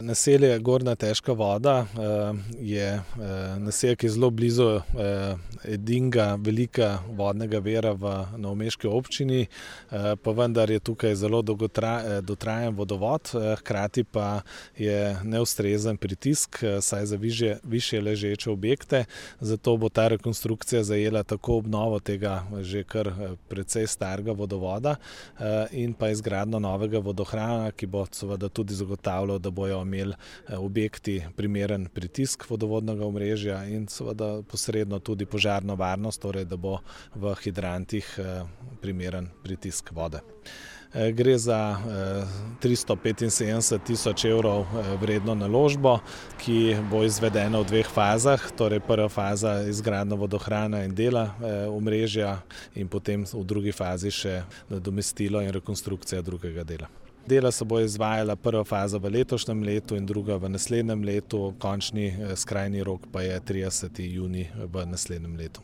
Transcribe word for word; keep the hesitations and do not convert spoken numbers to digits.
Naselje Gornja Težka voda je naselje, ki je zelo blizu edinega velika vodnega vira v novomeški občini, pa vendar je tukaj zelo dotrajan vodovod, hkrati pa je neustrezen pritisk, saj za višje ležeče objekte, zato bo ta rekonstrukcija zajela tako obnovo tega že kar precej starega vodovoda in pa izgradnjo novega vodohrana, ki bo seveda tudi zagotavljal, da bojo imeli objekti primeren pritisk vodovodnega omrežja in seveda posredno tudi požarno varnost, torej da bo v hidrantih primeren pritisk vode. Gre za tristo petinsedemdeset tisoč evrov vredno naložbo, ki bo izvedena v dveh fazah, torej prva faza izgradnja vodohrana in dela omrežja in potem v drugi fazi še nadomestilo in rekonstrukcija drugega dela. Dela se bo izvajala prva faza v letošnjem letu in druga v naslednjem letu, končni skrajni rok pa je trideseti junij v naslednjem letu.